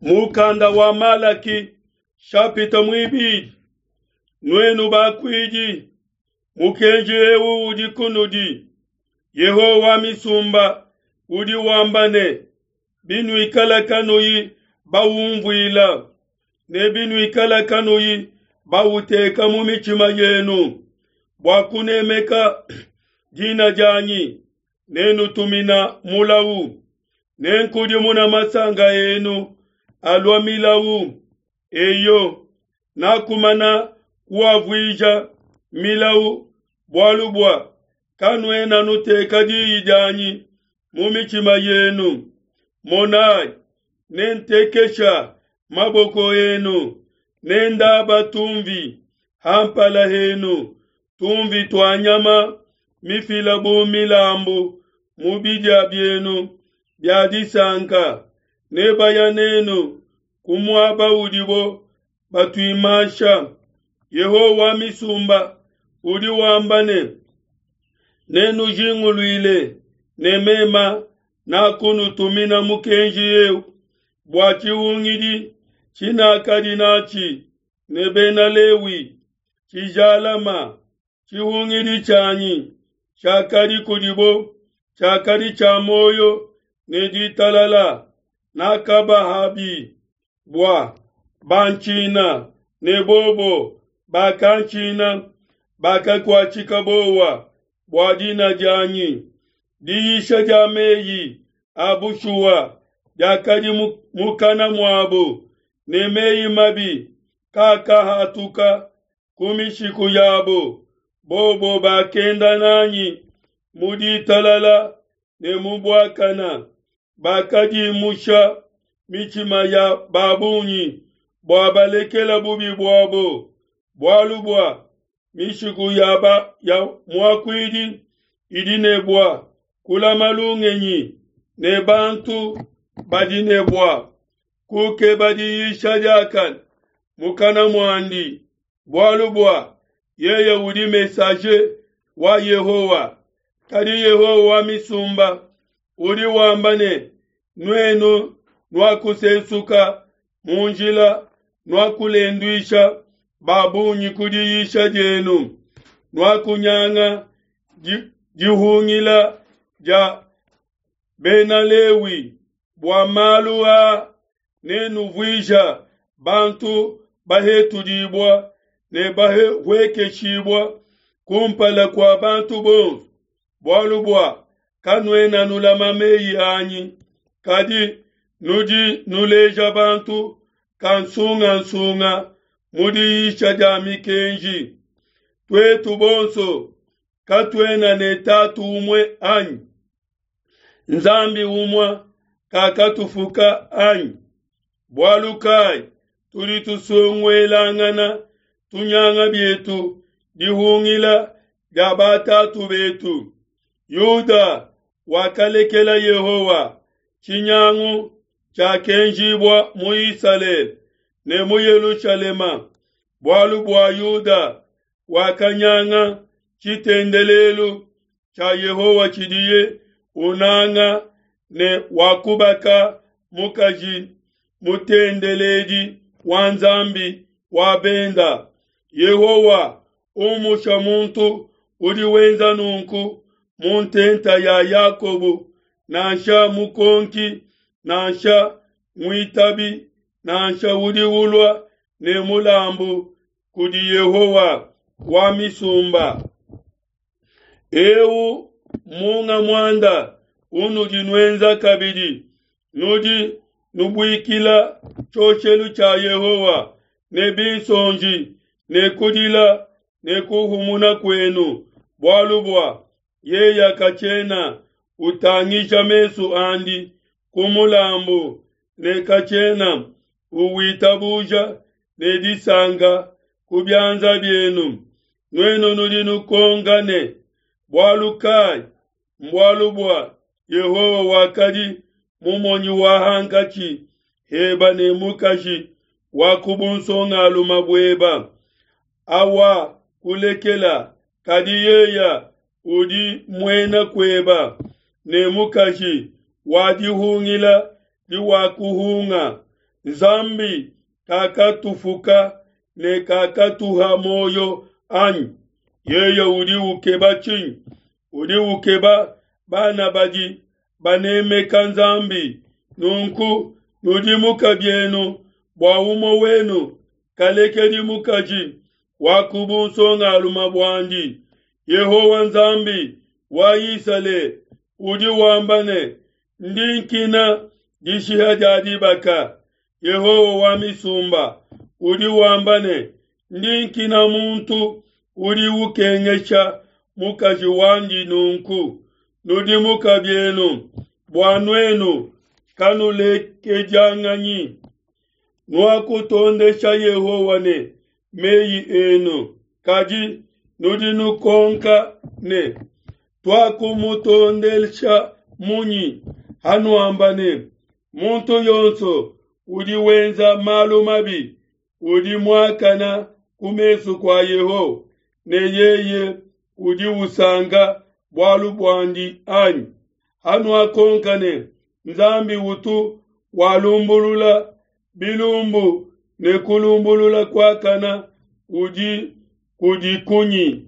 Mukanda wa Malaki shapita muibidi. Nuenu bakuidi, mukenji eu udi kunudi. Yehowa wa misumba udi wamba ne, binuikala kanuyi baumvuila ne binuikala kanuyi bauteka mu mitshima yenu bua kunemeka dina dianyi, nenutumina mulawu, nenkudimuna masanka enu alua milawu. Eyo, nakumana kuavuija milawu, bualu bua kanuena nuteka diyi dianyi mu mitshima yenu. Monayi, nentekesha maboko enu, nendaba tumvi ha mpala henu, tumvi tua nyama mifila bu milambu mu bidia bienu bia disanka, nebaya nenu ku muaba udibo batuimansha. Yehowa wa misumba udi wamba ne, nenujinguluile ne mema nakunutumina mukenji eu bua tshihungidi tshinakadi natshi ne Bena Lewi tshijalama. Tshihungidi tshianyi tshiakadi kudibo tshiakadi tshia muoyo ne ditalala, nakabahabi bua bantshina, ne bobo bakantshina, bakakuatshika bowa bua dina dianyi. Diyisha dia meyi a bushuwa diakadi mukana muabo, ne meyi mabi kaakahatuka ku mishiku yabo. Bobo bakenda nanyi mu ditalala ne mu buakana, bakadimusha mitshima ya ba bungi bua balekela bubi buabo. Bualu bua mishiku ya, ba, ya muakuidi idi ne bua kulama lungenyi, ne bantu badi ne bua kukeba diyisha diakane mukana muandi, bualu bua yeye udi messager wa Yehowa. Kadi Yehowa wa misumba udi wamba ne, nuenu nuakusesuka mu njila, nuakulenduisha ba bungi ku diyisha dienu, nuakunyanga dihungila dia Bena Lewi. Bua malu aa nenuvuija bantu bahetudibua ne bahuekeshibua kumpala kua bantu bonso, bualu bua kanuena nulama meyi anyi, kadi nudi nuleja bantu kansungansunga mu diyisha dia mikenji. Tuetu bonso katuena ne tatu umue anyi? Nzambi umue kakatufuka anyi? Bualu kai tudi tusonguelangana, tunyanga bietu dihungila dia batatu betu? Yuda wakalekela Yehowa, tshinyangu tshiakenjibua mu Isalele ne mu Yelushalema, bualu bua Yuda wakanyanga tshitendelelu tshia Yehowa tshidiye unanga ne wakubaka mukaji mutendeledi wa Nzambi wa benda. Yehowa umusha muntu udi wenza nunku mu ntenta ya Yakobo, nansha mukonki, nansha muitabi, nansha udi ulua ne mulambu kudi Yehowa wa misumba. Eu munga muanda unudi nuenza kabidi, nudi nubuikila tshioshelu tshia Yehowa ne binsonji ne kudila ne kuhumuna kuenu, bualu bua yeye katshiena utangisha mesu andi ku mulambu ne katshiena uwitabuja ne disanka ku bianza bienu. Nuenu nudi nukonka ne, bualu kai? Mbualu bua Yehowa wakadi mumonyi wa hankatshi heba ne mukaji wa ku bunsongalume bueba, awa kulekela, kadi yeya udi muena kueba ne mukaji wa dihungila diwakuhunga. Nzambi kakatufuka ne kakatuha muoyo anyi? Yeye udi ukeba tshinyi? Udi ukeba bana badi banemeka Nzambi. Nunku nudimuka bienu bua umue wenu kalekedi mukaji wa ku bunsongalume buandi. Yehowa Nzambi wa Isalele udi wamba ne, Ndi nkina dishiha dia dibaka. Yehowa wa misumba udi wamba ne, Ndi nkina muntu udi ukengesha mukaji wandi nunku. Nudimuka bienu bua nuenu kanulekedianganyi. Nuakutondesha Yehowa ne meyi enu, kadi nudi nukonka ne, Tuakumutondesha munyi? Hanuamba ne, Muntu yonso udi wenza malu mabi udi muakana ku mesu kua Yehowa, ne yeye udi usanka bualu buandi anyi? Hanuakonka ne, Nzambi utu walumbulula bilumbu ne kulumbulula kuakana udi kudi kunyi?